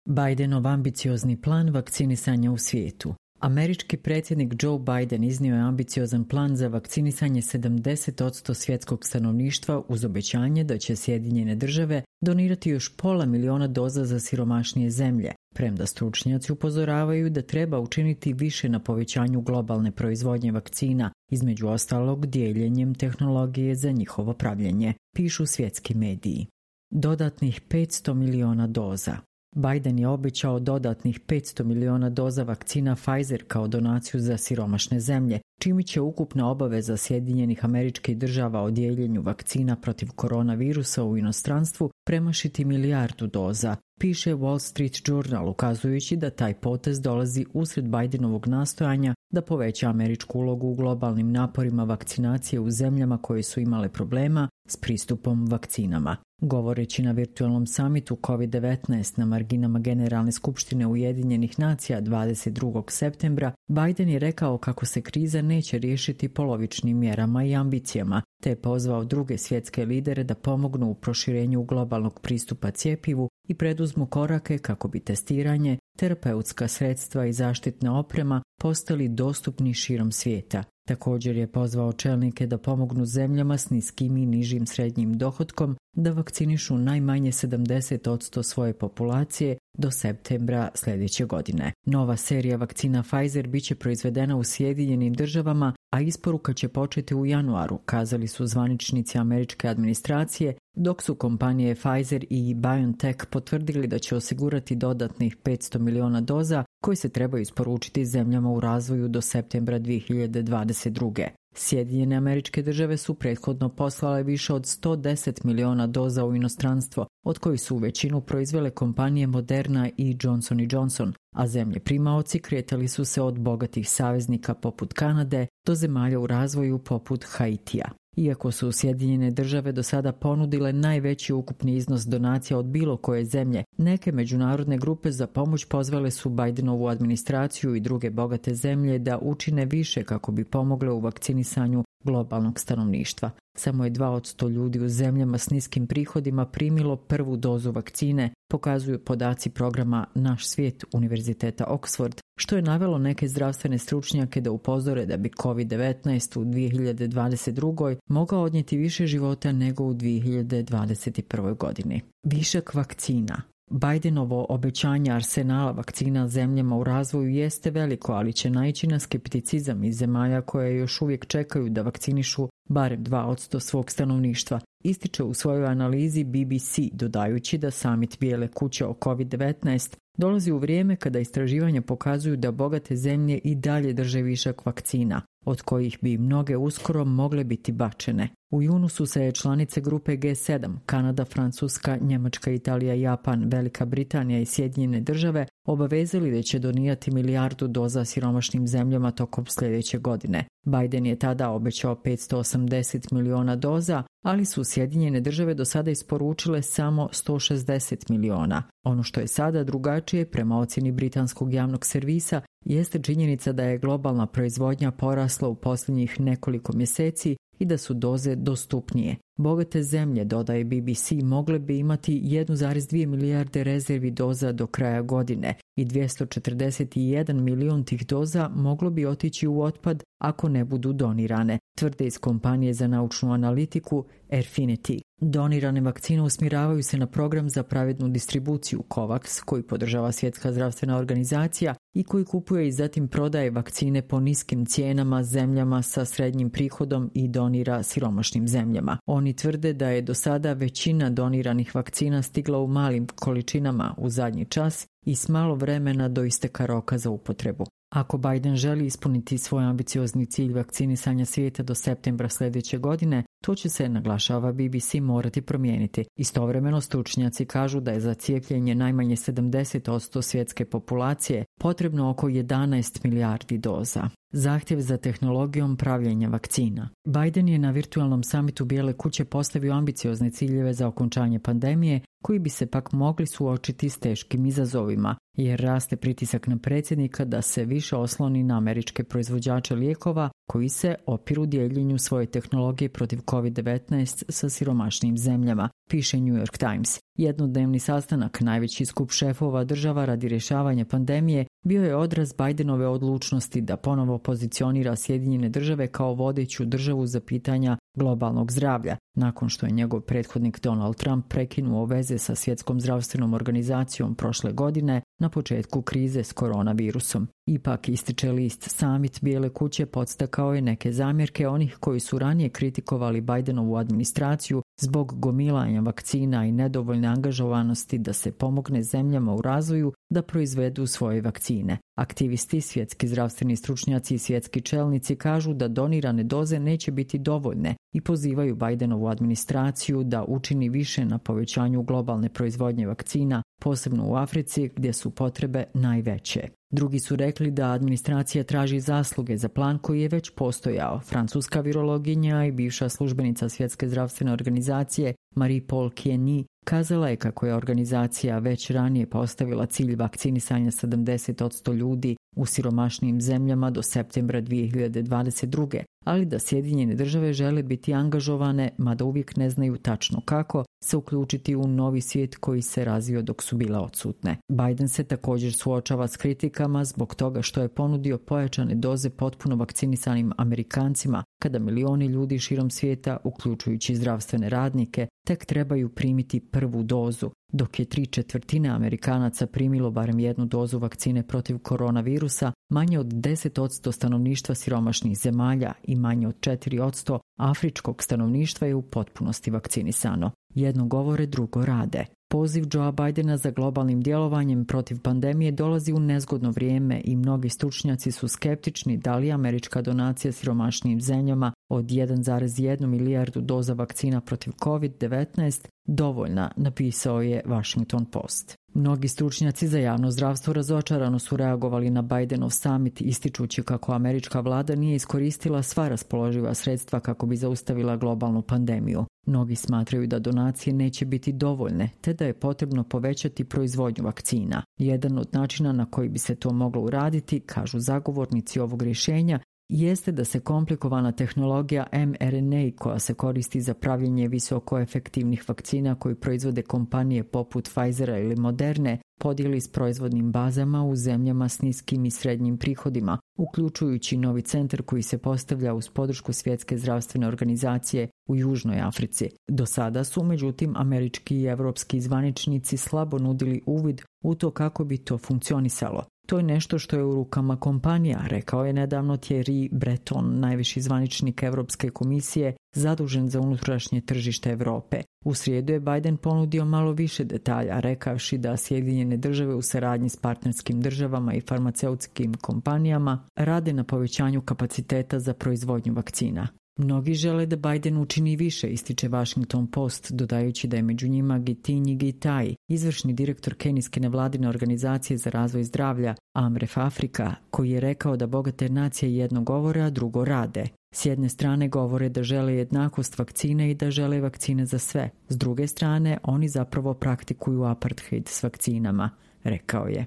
Bidenov ambiciozni plan vakcinisanja u svijetu. Američki predsjednik Joe Biden iznio je ambiciozan plan za vakcinisanje 70% svjetskog stanovništva uz obećanje da će Sjedinjene države donirati još 500.000 doza za siromašnije zemlje, premda stručnjaci upozoravaju da treba učiniti više na povećanju globalne proizvodnje vakcina, između ostalog dijeljenjem tehnologije za njihovo pravljenje, pišu svjetski mediji. Dodatnih 500 milijuna doza. Biden je obećao dodatnih 500 milijuna doza vakcina Pfizer kao donaciju za siromašne zemlje, čime će ukupna obaveza Sjedinjenih Američkih Država o dijeljenju vakcina protiv koronavirusa u inostranstvu premašiti 1 milijardu doza, piše Wall Street Journal, ukazujući da taj potez dolazi usred Bidenovog nastojanja da poveća američku ulogu u globalnim naporima vakcinacije u zemljama koje su imale problema s pristupom vakcinama. Govoreći na virtualnom samitu COVID-19 na marginama Generalne skupštine Ujedinjenih nacija 22. septembra, Biden je rekao kako se kriza neće riješiti polovičnim mjerama i ambicijama, te je pozvao druge svjetske lidere da pomognu u proširenju globalnog pristupa cjepivu i preduzmu korake kako bi testiranje, terapeutska sredstva i zaštitna oprema postali dostupni širom svijeta. Također je pozvao čelnike da pomognu zemljama s niskim i nižim srednjim dohotkom da vakcinišu najmanje 70% svoje populacije do septembra sljedeće godine. Nova serija vakcina Pfizer biće proizvedena u Sjedinjenim državama, a isporuka će početi u januaru, kazali su zvaničnici američke administracije, dok su kompanije Pfizer i BioNTech potvrdili da će osigurati dodatnih 500 milijuna doza koje se trebaju isporučiti zemljama u razvoju do septembra 2022. Sjedinjene Američke Države su prethodno poslale više od 110 milijuna doza u inostranstvo, od kojih su većinu proizvele kompanije Moderna i Johnson & Johnson, a zemlje primaoci kretali su se od bogatih saveznika poput Kanade do zemalja u razvoju poput Haitija. Iako su Sjedinjene Države do sada ponudile najveći ukupni iznos donacija od bilo koje zemlje, neke međunarodne grupe za pomoć pozvale su Bidenovu administraciju i druge bogate zemlje da učine više kako bi pomogle u vakcinisanju globalnog stanovništva. Samo je 2 od 100 ljudi u zemljama s niskim prihodima primilo prvu dozu vakcine, pokazuju podaci programa Naš svijet Univerziteta Oxford, što je navelo neke zdravstvene stručnjake da upozore da bi COVID-19 u 2022. mogao odnijeti više života nego u 2021. godini. Višak vakcina. Bidenovo obećanje arsenala vakcina zemljama u razvoju jeste veliko, ali će naići na skepticizam iz zemalja koje još uvijek čekaju da vakcinišu barem 2% svog stanovništva, ističe u svojoj analizi BBC, dodajući da samit Bijele kuće o COVID-19 dolazi u vrijeme kada istraživanja pokazuju da bogate zemlje i dalje drže višak vakcina, od kojih bi mnoge uskoro mogle biti bačene. U junu su se članice grupe G7, Kanada, Francuska, Njemačka, Italija, Japan, Velika Britanija i Sjedinjene Države obavezali da će donirati 1 milijardu doza siromašnim zemljama tokom sljedeće godine. Biden je tada obećao 580 milijuna doza, ali su Sjedinjene Države do sada isporučile samo 160 milijuna. Ono što je sada drugačije prema ocjeni britanskog javnog servisa jeste činjenica da je globalna proizvodnja porasla u posljednjih nekoliko mjeseci i da su doze dostupnije. Bogate zemlje, dodaje BBC, mogle bi imati 1,2 milijarde rezervi doza do kraja godine i 241 milijun tih doza moglo bi otići u otpad ako ne budu donirane, tvrde iz kompanije za naučnu analitiku Airfinity. Donirane vakcine usmjeravaju se na program za pravednu distribuciju COVAX, koji podržava Svjetska zdravstvena organizacija i koji kupuje i zatim prodaje vakcine po niskim cijenama zemljama sa srednjim prihodom i donira siromašnim zemljama. Oni tvrde da je do sada većina doniranih vakcina stigla u malim količinama u zadnji čas i s malo vremena do isteka roka za upotrebu. Ako Biden želi ispuniti svoj ambiciozni cilj vakcinisanja svijeta do septembra sljedeće godine, to će se, naglašava BBC, morati promijeniti. Istovremeno stručnjaci kažu da je za cijepljenje najmanje 70% svjetske populacije potrebno oko 11 milijardi doza. Zahtjev za tehnologijom pravljenja vakcina. Biden je na virtualnom samitu Bijele kuće postavio ambiciozne ciljeve za okončanje pandemije, koji bi se pak mogli suočiti s teškim izazovima, jer raste pritisak na predsjednika da se više osloni na američke proizvođače lijekova koji se opiru dijeljenju svoje tehnologije protiv COVID-19 sa siromašnim zemljama, piše New York Times. Jednodnevni sastanak, najveći skup šefova država radi rješavanja pandemije, bio je odraz Bidenove odlučnosti da ponovo pozicionira Sjedinjene Države kao vodeću državu za pitanja globalnog zdravlja, nakon što je njegov prethodnik Donald Trump prekinuo veze sa Svjetskom zdravstvenom organizacijom prošle godine na početku krize s koronavirusom. Ipak, ističe list, samit Bijele kuće podstakao je neke zamjerke onih koji su ranije kritikovali Bidenovu administraciju zbog gomilanja vakcina i nedovoljne angažovanosti da se pomogne zemljama u razvoju da proizvedu svoje vakcine. Aktivisti, svjetski zdravstveni stručnjaci i svjetski čelnici kažu da donirane doze neće biti dovoljne i pozivaju Bidenovu administraciju da učini više na povećanju globalne proizvodnje vakcina, posebno u Africi gdje su potrebe najveće. Drugi su rekli da administracija traži zasluge za plan koji je već postojao. Francuska virologinja i bivša službenica Svjetske zdravstvene organizacije Marie-Paul Kieny kazala je kako je organizacija već ranije postavila cilj vakcinisanja 70% ljudi u siromašnijim zemljama do septembra 2022. ali da Sjedinjene Države žele biti angažovane, mada uvijek ne znaju tačno kako, se uključiti u novi svijet koji se razvio dok su bile odsutne. Biden se također suočava s kritikama zbog toga što je ponudio pojačane doze potpuno vakcinisanim Amerikancima, kada milioni ljudi širom svijeta, uključujući zdravstvene radnike, tek trebaju primiti prvu dozu, dok je 3/4 Amerikanaca primilo barem jednu dozu vakcine protiv koronavirusa, manje od 10% stanovništva siromašnih zemalja i manje od 4% afričkog stanovništva je u potpunosti vakcinisano. Jedno govore, drugo rade. Poziv Joea Bidena za globalnim djelovanjem protiv pandemije dolazi u nezgodno vrijeme i mnogi stručnjaci su skeptični da li američka donacija siromašnijim zemljama od 1,1 milijardu doza vakcina protiv COVID-19 dovoljna, napisao je Washington Post. Mnogi stručnjaci za javno zdravstvo razočarano su reagovali na Bidenov summit, ističući kako američka vlada nije iskoristila sva raspoloživa sredstva kako bi zaustavila globalnu pandemiju. Mnogi smatraju da donacije neće biti dovoljne, te da je potrebno povećati proizvodnju vakcina. Jedan od načina na koji bi se to moglo uraditi, kažu zagovornici ovog rješenja, jeste da se komplikovana tehnologija mRNA koja se koristi za pravljenje visoko efektivnih vakcina koji proizvode kompanije poput Pfizera ili Moderne podijeli s proizvodnim bazama u zemljama s niskim i srednjim prihodima, uključujući novi centar koji se postavlja uz podršku Svjetske zdravstvene organizacije u Južnoj Africi. Do sada su, međutim, američki i evropski zvaničnici slabo nudili uvid u to kako bi to funkcionisalo. To je nešto što je u rukama kompanija, rekao je nedavno Thierry Breton, najviši zvaničnik Europske komisije zadužen za unutrašnje tržište Europe. U srijedu je Biden ponudio malo više detalja, rekavši da Sjedinjene Države u saradnji s partnerskim državama i farmaceutskim kompanijama rade na povećanju kapaciteta za proizvodnju vakcina. Mnogi žele da Biden učini više, ističe Washington Post, dodajući da je među njima Gitinji Gitai, izvršni direktor kenijske nevladine organizacije za razvoj zdravlja Amref Afrika, koji je rekao da bogate nacije jedno govore, a drugo rade. S jedne strane govore da žele jednakost vakcine i da žele vakcine za sve. S druge strane, oni zapravo praktikuju apartheid s vakcinama, rekao je.